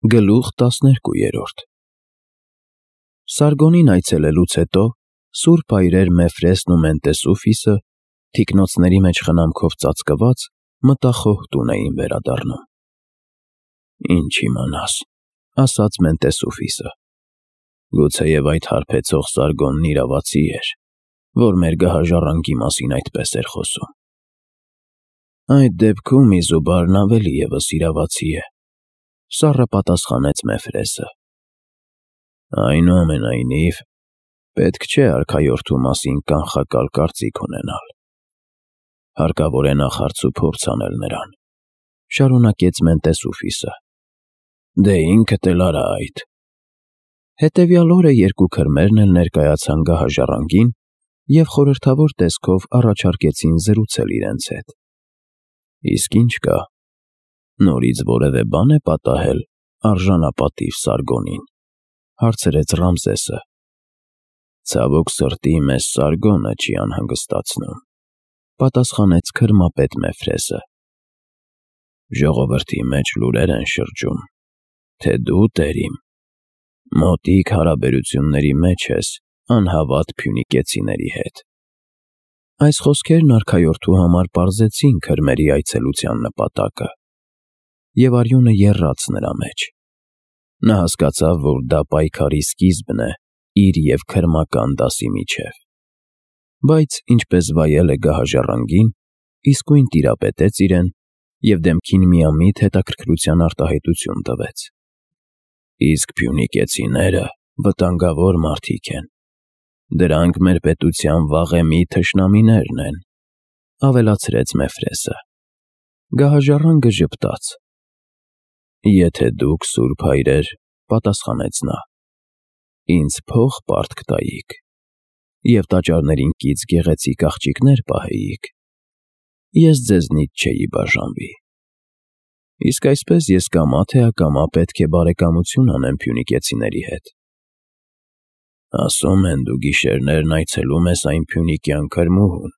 Գլուխ 12 Սարգոնին այցելելուց հետո Սուրբ այրեր Մեֆրեսն ու Մենտեսուֆիսը, թիկնոցների մեջ խնամքով ծածկված, մտախոհ տուն էին վերադառնում։ «Ինչ իմանաս,» ասաց Մենտեսուֆիսը, «գուցեև այդ հարբեցող Սարգոնն իրավացի էր, որ մեր գահաժառանգի մասին այդպես էր խոսում»։ «Այդ դեպքում Իզուբարն ավելի ևս իրավացի է,» սառը պատասխանեց Մեֆրեսը։ «Այնուամենայնիվ, պետք չէ արքայորդու մասին կանխակալ կարծիք ունենալ. հարկավոր է նախ հարցուփորձ անել նրան», շարունակեց Մենտեսուֆիսը։ «Դե ինքդ էլ արա այդ»։ Հետևյալ օրը երկու քրմերն էլ ներկայացան գահաժառանգին և խորհրդավոր տեսքով առաջարկեցին զրուցել իրենց հետ։ «Իսկ ինչ կա, նորից որևէ բան է պատահել արժանապատիվ Սարգոնին», հարցրեց Ռամզեսը։ «Ցավոք սրտի, մեզ Սարգոնը չի անհանգստացնում», պատասխանեց քրմապետ Մեֆրեսը։ «Ժողովրդի մեջ լուրեր են շրջում, թե դու, տերիմ, մոտիկ հարաբերությունների մեջ ես անհավատ փյունիկեցիների հետ»։ Այս խոսքերն արքայորդու համար պարզեցին քրմերի այցելության նպատակը, և արյունը եռաց նրա մեջ։ Նա հասկացավ, որ դա պայքարի սկիզբն է իր և քրմական դասի միջև։ Բայց ինչպես վայել է գահաժառանգին, իսկույն տիրապետեց իրեն և դեմքին միամիտ հետաքրքրության արտահայտություն տվեց։ «Իսկ փյունիկեցիները վտանգավոր մարդիկ են, դրանք մեր պետության վաղեմի թշնամիներն են», ավելացրեց Մեֆրեսը։ Գահաժառանգը ժպտաց։ «Եթե դուք, Սուրբ հայրեր, պատասխանեց նա, ինձ փող պարտք տայիք և տաճարներին կից գեղեցիկ աղջիկներ պահեիք, ես ձեզնից չէի բաժանվի։ Իսկ այսպես ես կամա թե ակամա պետք է բարեկամություն անեմ փյունիկեցիների հետ»։ «Ասում են, դու գիշերներն այցելում ես այն փյունիկյան քրմուհուն»։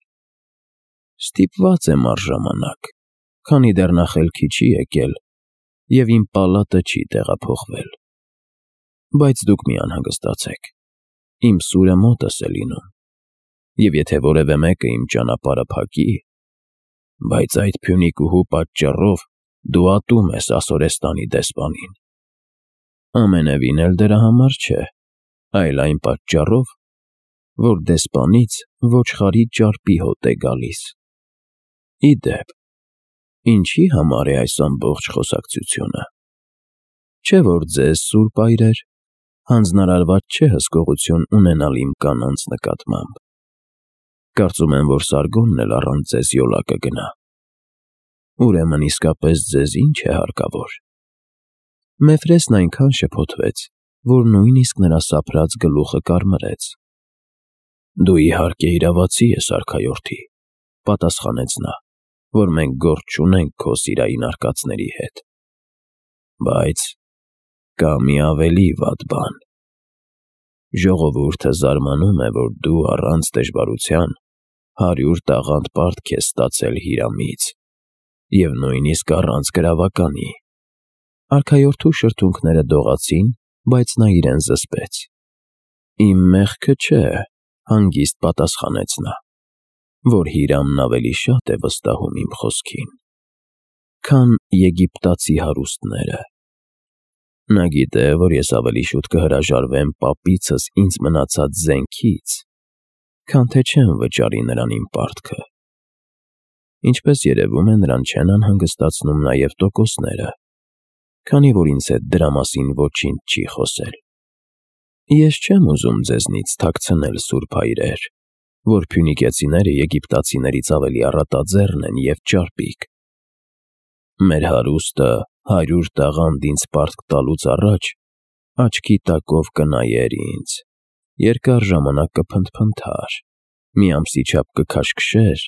«Ստիպված եմ առժամանակ, քանի դեռ նա խելքի չի եկել և իմ պալատը չի տեղափոխվել։ Բայց դուք մի անհանգստացեք, իմ սուրը մոտս է լինում, և եթե որևէ մեկը իմ ճանապարհը փակի, բայց այդ փյունիկուհու պատճառով դու ատում ես Ասորեստանի դեսպանին։ Ամենևին էլ դրա համար չէ, այլ այն պատճառով, որ դեսպանից ոչխարի ճարպի հոտ է գալիս։ Ի դեպ, ինչի համար է այս ամբողջ խոսակցությունը։ Չէ՞ որ ձեզ, Սուրբ այրեր, հանձնարարված չէ հսկողություն ունենալ իմ կանանց նկատմամբ։ Կարծում եմ, որ Սարգոնն էլ առանց ձեզ յոլա կգնա։ Ուրեմն իսկապես ձեզ ի՞նչ է հարկավոր։ Մեֆրեսն այնքան շփոթվեց, որ նույնիսկ նրա սափրած գլուխը կարմրեց։ Դու իհարկե իրավացի ես, արքայորդի, պատասխանեց նա, որ մենք գործ չունենք քո սիրային արկածների հետ։ Բայց կա մի ավելի վատ բան։ Ժողովուրդը զարմանում է, որ դու առանց դժվարության 100 տաղանդ պարտք ես ստացել Հիրամից, և նույնիսկ առանց գրավականի։ Արքայորդու շրթունքները դողացին, բայց նա իրեն զսպեց։ Իմ մեղքը չէ, հանգիստ պատասխանեց նա, որ Հիրամն ավելի շատ է վստահում իմ խոսքին, քան եգիպտացի հարուստները։ Նա գիտե, որ ես ավելի շուտ կհրաժարվեմ պապիցս ինձ մնացած զենքից, քան թե չեմ վճարի նրան իմ պարտքը։ Ինչպես երևում է, նրան չեն անհանգստացնում նաև տոկոսները, քանի որ ինձ հետ դրա մասին ոչինչ չի խոսել։ Ես չեմ ուզում ձեզնից թաքցնել, Սուրբ հայրեր, որ փյունիկեցիները եգիպտացիներից ավելի առատաձեռն են և ճարպիկ։ Մեր հարուստը 100 տաղանդ ինձ պարտք տալուց առաջ աչքի տակով կնայեր ինձ, երկար ժամանակ կփնթփնթար, մի ամսի չափ կքաշքշեր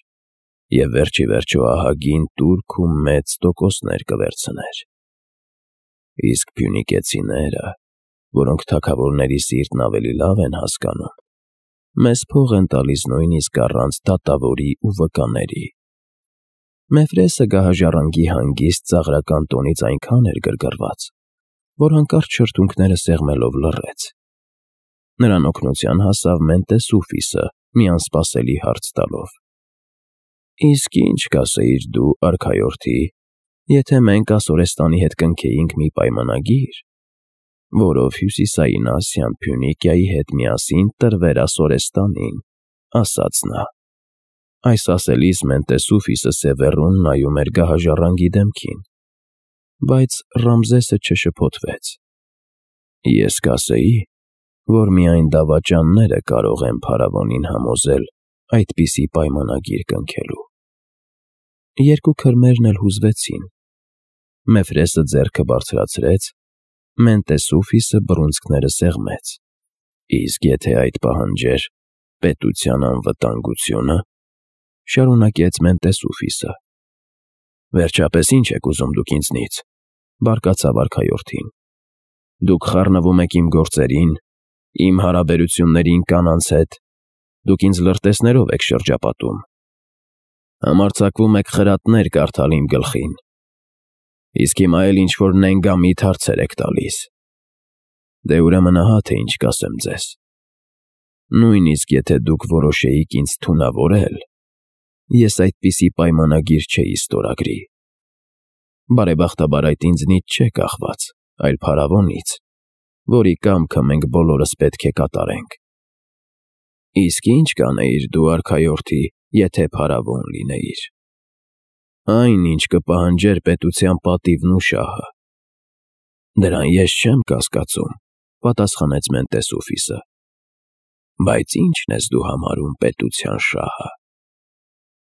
և վերջիվերջո ահագին տուրք ու մեծ տոկոսներ կվերցներ։ Իսկ փյունիկեցիները, որոնք թագավորների սիրտն ավելի լավ են հասկանում, մեզ փող են տալիս նույնիսկ առանց դատավորի ու վկաների։ Մեֆրեսը գահաժառանգի հանգիստ ծաղրական տոնից այնքան էր գրգռված, որ հանկարծ շրթունքները սեղմելով լռեց։ Նրան օգնության հասավ Մենտեսուֆիսը, մի անսպասելի հարց տալով. «Իսկ ինչ կասեիր դու, արքայորդի, եթե մենք Ասորեստանի հետ կնքեինք մի պայմանագիր, որով Հյուսիսային Ասիան Փյունիկիայի հետ միասին տրվեր Ասորեստանին», ասաց նա։ Այս ասելիս Մենտեսուֆիսը սևեռուն նայում էր գահաժառանգի դեմքին, բայց Ռամզեսը չշփոթվեց։ «Ես կասեի, որ միայն դավաճանները կարող են փարավոնին համոզել այդպիսի պայմանագիր կնքելու»։ Երկու քրմերն էլ հուզվեցին։ Մեֆրեսը ձեռքը բարձրացրեց, Մենտեսուֆիսը բռունցքները սեղմեց։ «Իսկ եթե այդ պահանջեր պետության անվտանգությունը», շարունակեց Մենտեսուֆիսը։ «Վերջապես ինչ եք ուզում դուք ինձնից», բարկացավ արքայորդին։ «Դուք խառնվում եք իմ գործերին, իմ հարաբերություններին կանանց հետ, դուք ինձ լրտեսներով եք շրջապատում, համարձակվում եք խրատներ կարդալ իմ գլխին, իսկ հիմա էլ ինչ-որ նենգամիտ հարցեր եք տալիս։ Դե ուրեմն ահա թե ինչ կասեմ ձեզ. նույնիսկ եթե դուք որոշեիք ինձ թունավորել, ես այդպիսի պայմանագիր չէի ստորագրի։ Բարեբախտաբար այդ ինձնից չէ կախված, այլ փարավոնից, որի կամքը մենք բոլորս պետք է կատարենք։ Իսկ ինչ կանեիր դու, արքայորդի, եթե փարավոն լինեիր։ Այն, ինչ կպահանջեր պետության պատիվն ու շահը։ Դրան ես չեմ կասկածում, պատասխանեց Մենտեսուֆիսը։ Բայց ի՞նչն ես դու համարում պետության շահը։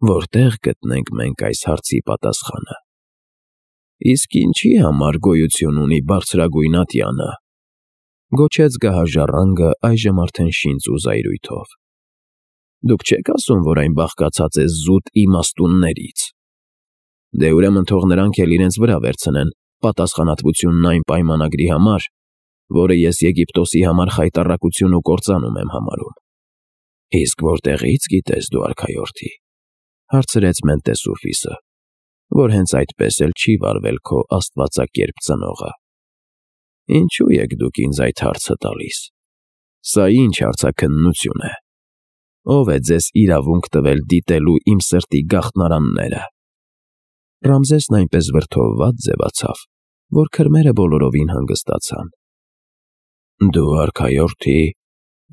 Որտեղ գտնենք մենք այս հարցի պատասխանը։ Իսկ ինչի համար գոյություն ունի բարձրագույն ատյանը, գոչեց գահաժառանգը այժմ արդեն շինծ ու զայրույթով։ Դուք չեք ասում, որ այն բաղկացած է զուտ իմաստուններից։ Դե ուրեմն թող նրանք էլ իրենց վրա վերցնեն պատասխանատվությունն այն պայմանագրի համար, որը ես Եգիպտոսի համար խայտառակություն ու կործանում եմ համարում։ Իսկ որտեղից գիտես դու, արքայորդի, հարցրեց Մենտեսուֆիսը, որ հենց այդպես էլ չի վարվել քո աստվածակերպ ծնողը։ Ինչու եք դուք ինձ այդ հարցը տալիս։ Սա ինչ հարցաքննություն է։ Ո՞վ է ձեզ իրավունք տվել դիտելու իմ սրտի գաղտնարանները։ Ռամզեսն այնպես վրդովված ձևացավ, որ քրմերը բոլորովին հանգստացան։ Դու, արքայորդի,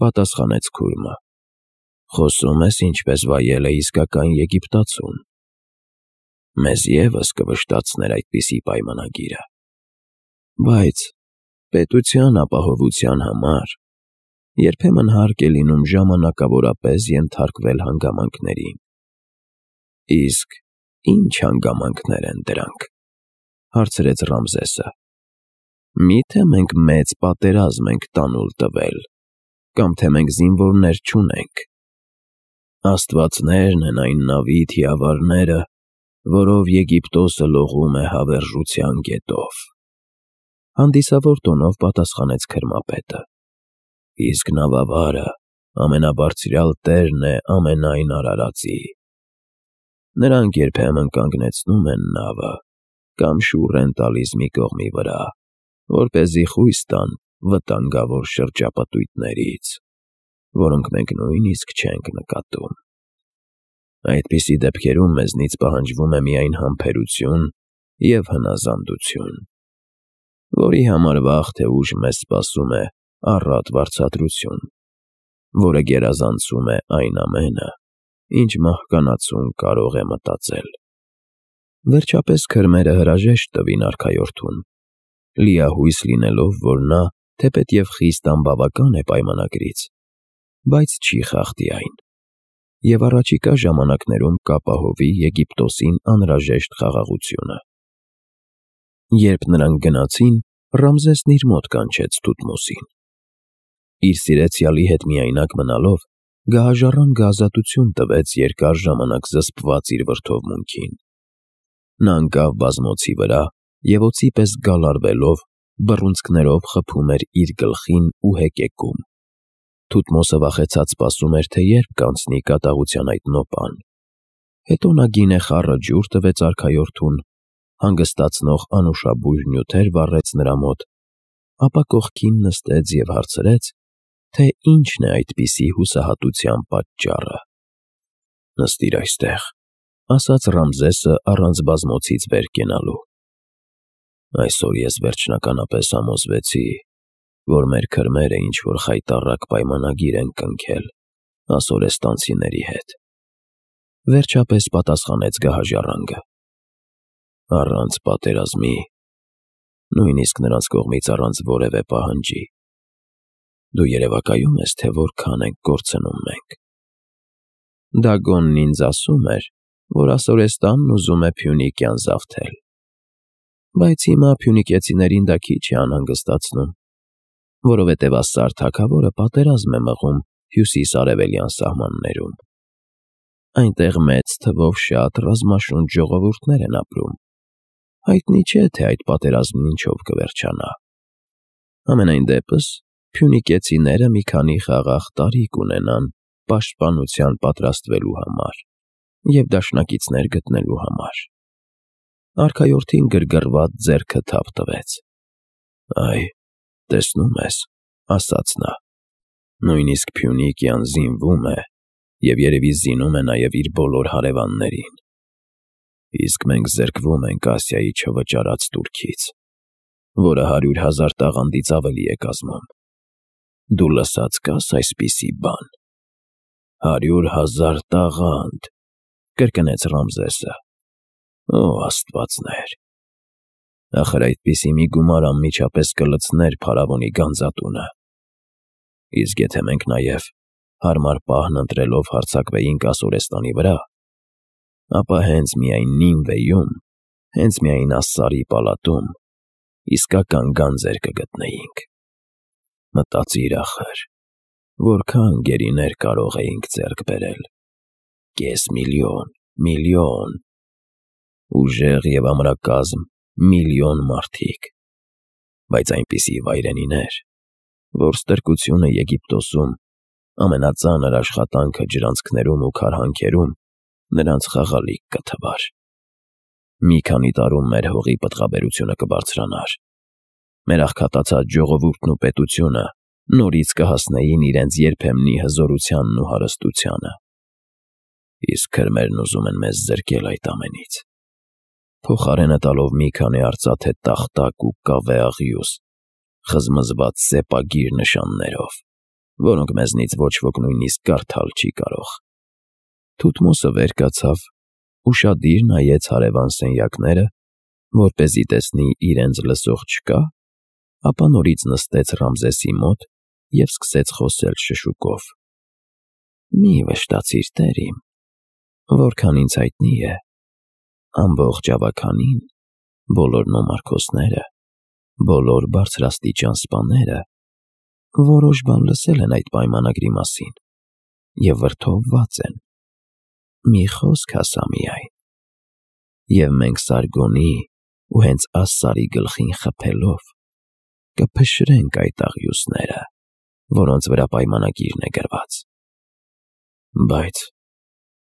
պատասխանեց քուրմը, խոսում ես ինչպես վայել է իսկական եգիպտացուն։ Մեզ ևս կվշտացներ այդպիսի պայմանագիրը։ Բայց պետության ապահովության համար երբեմն հարկ է լինում ժամանակավորապես ենթարկվել հանգամանքներին։ Իսկ ինչ հանգամանքներ են դրանք, հարցրեց Ռամզեսը։ Միթե մենք մեծ պատերազմ ենք տանուլ տվել, կամ թե մենք զինվորներ չունենք։ Աստվածներն են այն նավի թիավարները, որով Եգիպտոսը լողում է հավերժության գետով։ Հանդիսավոր տոնով պատասխանեց քրմապետը։ Իսկ նավավարը ամենաբարձրյալ տերն է ամենայն արարածի։ Նրանք երբեմն կանգնեցնում են նավը կամ շուռ են տալիս մի կողմի վրա, որպեսզի խույս տան վտանգավոր շրջապատույտներից, որոնք մենք նույնիսկ չենք նկատում։ Այդպիսի դեպքերում մեզնից պահանջվում է միայն համբերություն և հնազանդություն, որի համար վաղ թե ուշ մեզ սպասում է առատ վարձատրություն, որը գերազանցում է այն ամենը, ինչ մահկանացուն կարող է մտածել։ Վերջապես քրմերը հրաժեշտ տվին արքայորդուն, լիահույս լինելով, որ նա թեպետև խիստ անբավական է պայմանագրից, բայց չի խախտի այն, և առաջիկա ժամանակներում կապահովի Եգիպտոսին անհրաժեշտ խաղաղությունը։ Երբ նրանք գնացին, Ռամզեսն իր մոտ կանչեց Թութմոսին։ Իր սիրեցյալի հետ միայնակ մնալով, գահաժառանգը ազատություն տվեց երկար ժամանակ զսպված իր վրդովմունքին։ Նա ընկավ բազմոցի վրա և օձի պես գալարվելով, բռունցքներով խփում էր իր գլխին ու հեկեկում։ Թութմոսը վախեցած սպասում էր, թե երբ կանցնի կատաղության այդ նոպան։ Հետո նա գինե խառը ջուր տվեց արքայորդուն, հանգստացնող անուշաբույր նյութեր վառեց նրա մոտ ապա կողքին նստեց և հարցրեց, թե ինչն է այդպիսի հուսահատության պատճառը։ «Նստիր այստեղ», ասաց Ռամզեսը առանց բազմոցից վեր կենալու։ «Այսօր ես վերջնականապես համոզվեցի, որ մեր քրմերը ինչ-որ խայտառակ պայմանագիր են կնքել ասորեստանցիների հետ», վերջապես պատասխանեց գահաժառանգը։ «Առանց պատերազմի, նույնիսկ նրանց կողմից առանց որևէ պահանջի։ Դու երևակայում ես, թե որքան ենք կորցնում մենք»։ Դագոնն ինձ ասում էր, որ Ասորեստանն ուզում է Փյունիկյան զավթել, բայց հիմա փյունիկեցիներին դա քիչ է անհանգստացնում, որովհետև Ասսար թագավորը պատերազմ է մղում հյուսիս-արևելյան սահմաններում։ Այնտեղ մեծ թվով շատ ռազմաշունչ ժողովուրդներ են ապրում։ Հայտնի չէ, թե այդ պատերազմն ինչով կվերջանա։ Համենայն դեպս, փյունիկեցիները մի քանի խաղաղ տարիք ունենան պաշտպանության պատրաստվելու համար և դաշնակիցներ գտնելու համար։ Արքայորդին գրգռված ձեռքը թափ տվեց։ «Այ, տեսնում ես», ասաց նա, «նույնիսկ Փյունիկյան զինվում է և երևի զինում է նաև իր բոլոր հարևաններին։ Իսկ մենք զրկվում ենք Ասիայի չվճարած տուրքից, որը 100,000 տաղանդից ավելի է կազմում։ Դու լսած կաս այսպիսի բան։ 100,000 տաղանդ», կրկնեց Ռամզեսը։ «Օ աստվածներ, ախր այդպիսի մի գումար անմիջապես կլցներ փարավոնի գանձատունը։ Իսկ եթե մենք նաև հարմար պահն ընտրելով հարձակվեինք Ասորեստանի վրա, ապա հենց միայն Նինվեում, հենց միայն Ասսարի պալատում իսկական գանձեր կգտնեինք։ Մտածիր ախր, որքան գերիներ կարող էինք ձեռք բերել։ Կես միլիոն, միլիոն, ուժեղ և ամրակազմ միլիոն մարդիկ, բայց այնպիսի վայրենիներ, որ ստրկությունը Եգիպտոսում, ամենածանր աշխատանքը ջրանցքներում ու քարհանքերում նրանց խաղալիք կթվար։ Մի քանի տարում մեր հողի պտղաբերությունը կբարձրանար, մեր աղքատացած ժողովուրդն ու պետությունը նորից կհասնեին իրենց երբեմնի հզորությանն ու հարստությանը։ Իսկ քրմերն ուզում են մեզ զրկել այդ ամենից, փոխարենը տալով մի քանի արծաթե տախտակ ու կավե աղյուս, խզմզված սեպագիր նշաններով, որոնք մեզնից ոչ ոք նույնիսկ կարդալ չի կարող։ Թութմոսը վեր կացավ, ուշադիր նայեց հարևան սենյակները, որպեսզի տեսնի իրենց լսող չկա, ապա նորից նստեց Ռամզեսի մոտ և սկսեց խոսել շշուկով. «Մի վշտացիր, տեր իմ, որքան ինձ հայտնի է, ամբողջ ավագանին, բոլոր նոմարքոսները, բոլոր բարձրաստիճան սպաները որոշ բան լսել են այդ պայմանագրի մասին և վրդովված են։ Մի խոսք ասա միայն, և մենք Սարգոնի ու հենց Ասսարի գլխին խփելով կփշրենք այդ աղյուսները, որոնց վրա պայմանագիրն է գրված։ Բայց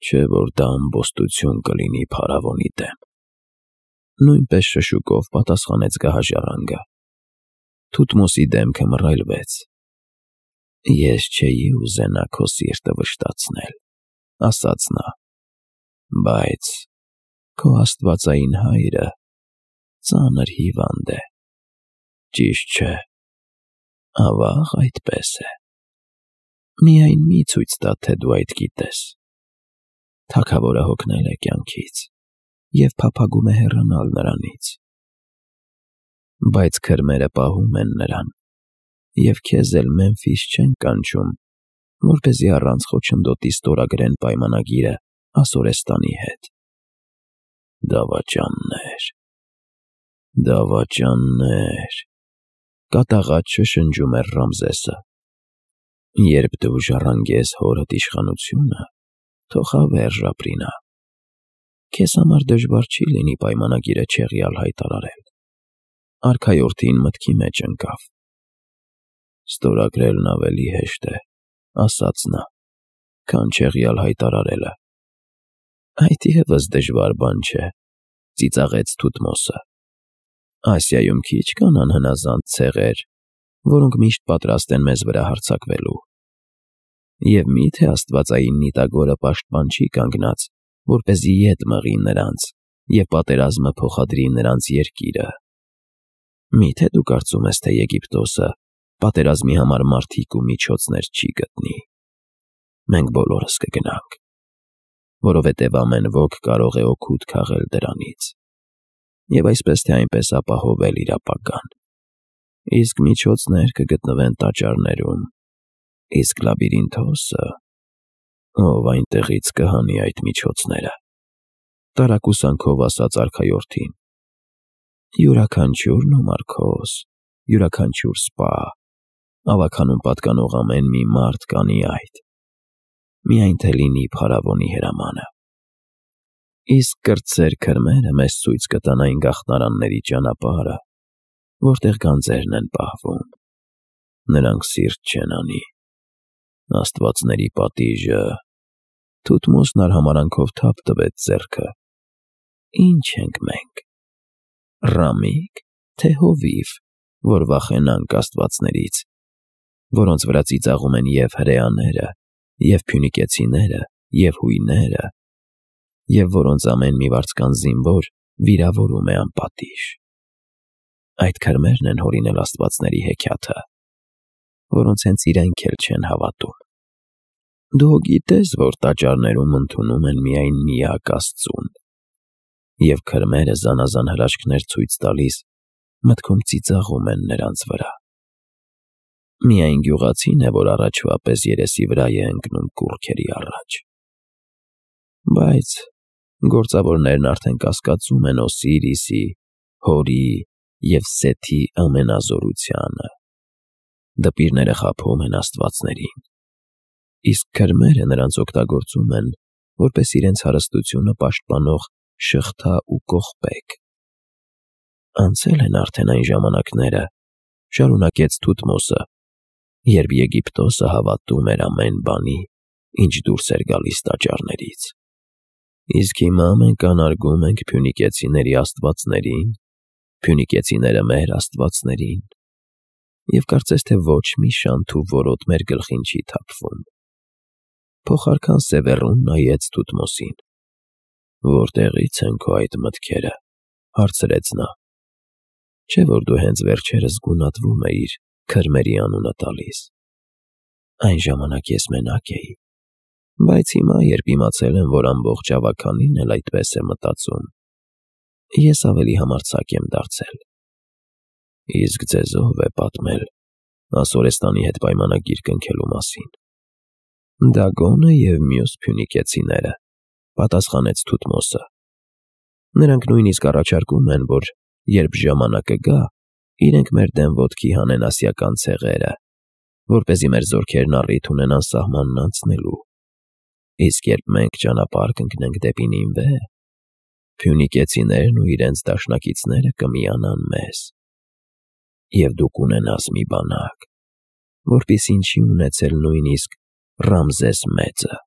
չէ որ դա ամբոստություն կլինի փարավոնի դեմ»։ Նույնպես շշուկով պատասխանեց գահաժառանգը։ Թութմոսի դեմքը մռայլվեց։ «Ես չէի ուզենա քո սիրտը վշտացնել», ասաց նա, «բայց քո աստվածային հայրը ծանր հիվանդ է, ճիշտ չէ, ավա՞ղ այդպես է։ Միայն մի ցույց տա, թե դու այդ գիտես։ Թագավորը հոգնել է կյանքից և փափագում է հեռանալ նրանից։ Բայց քրմերը պահում են նրան և քեզ էլ Մեմֆիս չեն կանչում, որպեսզի առանց խոչընդոտի ստորագրեն պայմանագիրը Ասորեստանի հետ։ Դավաճաններ, դավաճաններ», կատաղած շշնջում էր Ռամզեսը։ «Երբ դու ժառանգես հորդ իշխանությունը, թող հավերժ ապրի նա։ Քեզ համար դժվար չի լինի պայմանագիրը չեղյալ հայտարարել»։ Արքայորդին մտքի մեջ ընկավ։ «Ստորագրելն ավելի հեշտ է», ասաց նա, «քան չեղյալ հայտարարելը»։ «Այդ ևս դժվար բան չէ», ծիծաղեց Թութմոսը։ «Ասիայում քիչ կան անհնազանդ ցեղեր, որոնք միշտ պատրաստ են մեզ վրա հարձակվելու։ Եվ միթե աստվածային նիտագորը պաշտպան չի կանգնած, որպեսզի ետ մղի նրանց և պատերազմը փոխադրի նրանց երկիրը։ Միթե դու կարծում ես, թե Եգիպտոսը պատերազմի համար մարդիկ ու միջոցներ չի գտնի։ Մենք բոլորս կգնանք, որովհետև ամեն ոք կարող է օգուտ քաղել դրանից և այսպես թե այնպես ապահովել իր ապագան։ Իսկ միջոցներ կգտնվեն տաճարներում, իսկ Լաբիրինթոսը, ով այնտեղից կհանի այդ միջոցները, տարակուսանքով ասաց արքայորդին, յուրաքանչյուր նոմարքոս, յուրաքանչյուր սպա, ավագանում պատկանող ամեն մի մարդ կանի այդ, միայն թե լինի փարավոնի հրամանը։ Իսկ կրտսեր քրմերը մեզ ցույց կտան այն գաղթարանների ճանապարհը, որտեղ գանձերն են պահվում։ Նրանք սիրտ չեն անի։ Աստվածների պատիժը, Թութմոսն արհամարանքով թափ տվեց ձեռքը։ Ինչ ենք մենք, ռամիկ, թե հովիվ, որ վախենանք աստվածներից, որոնց վրա ծիծաղում են և հրեաները, և փյունիկեցիները, և հույները, և որոնց ամեն մի վարձկան զինվոր վիրավորում է անպատիժ։ Այդ քրմերն են հորինել աստվածների հեքիաթը, որոնց հենց իրենք էլ չեն հավատում։ Դու գիտես, որ տաճարներում ընդունում են միայն միակ Աստծուն, և քրմերը զանազան հրաշքներ ցույց տալիս մտքում ծիծաղում են նրանց վրա։ Միայն գյուղացին է, որ առաջվա պես երեսի վրա է ընկնում կուռքերի առաջ։ Բայց գործավորներն արդեն կասկածում են Օսիրիսի, Հորի և Սեթի ամենազորությանը։ Դպիրները խաբում են աստվածներին, իսկ քրմերը նրանց օգտագործում են, որպես իրենց հարստությունը պաշտպանող շղթա ու կողպեկ։ Անցել են արդեն այն ժամանակները, շարունակեց Թութմոսը, երբ Եգիպտոսը հավատում էր ամեն բանի, ինչ դուրս էր գալիս տաճարներից։ Իսկ հիմա մենք անարգում ենք փյունիկեցիների աստվածներին, փյունիկեցիները մեր աստվածներին, և կարծես թե ոչ մի շանթ ու որոտ մեր գլխին չի թափվում։ Փոխարքան Սևեռուն նայեց Թութմոսին։ Որտեղի՞ց են քո այդ մտքերը, հարցրեց նա։ Չէ՞ որ դու հենց վերջերս գունատվում էիր, քրմերի անունը տալիս։ Այն ժամանակ ես մենակ էի, բայց հիմա, երբ իմացել եմ, որ ամբողջ ավագանին էլ այդպես է մտածում, ես ավելի համարձակ եմ դարձել։ Իսկ ձեզ ով է պատմել Ասորեստանի հետ պայմանագիր կնքելու մասին։ Դագոնը և մյուս փյունիկեցիները, պատասխանեց Թութմոսը։ Նրանք նույնիսկ առաջարկում են, որ երբ ժամանակը գա, իրենք մեր դեմ ոտքի հանեն ասիական ցեղերը, որպեսզի մեր զորքերն առիթ ունենան սահմանն անցնելու։ Իսկ երբ մենք ճանապարհ կընկնենք դեպի Նինվե, փյունիկեցիներն ու իրենց դաշնակիցները կմիանան մեզ, և դու կունենաս մի բանակ, որպիսին չի ունեցել նույնիսկ Ռամզես մեծը։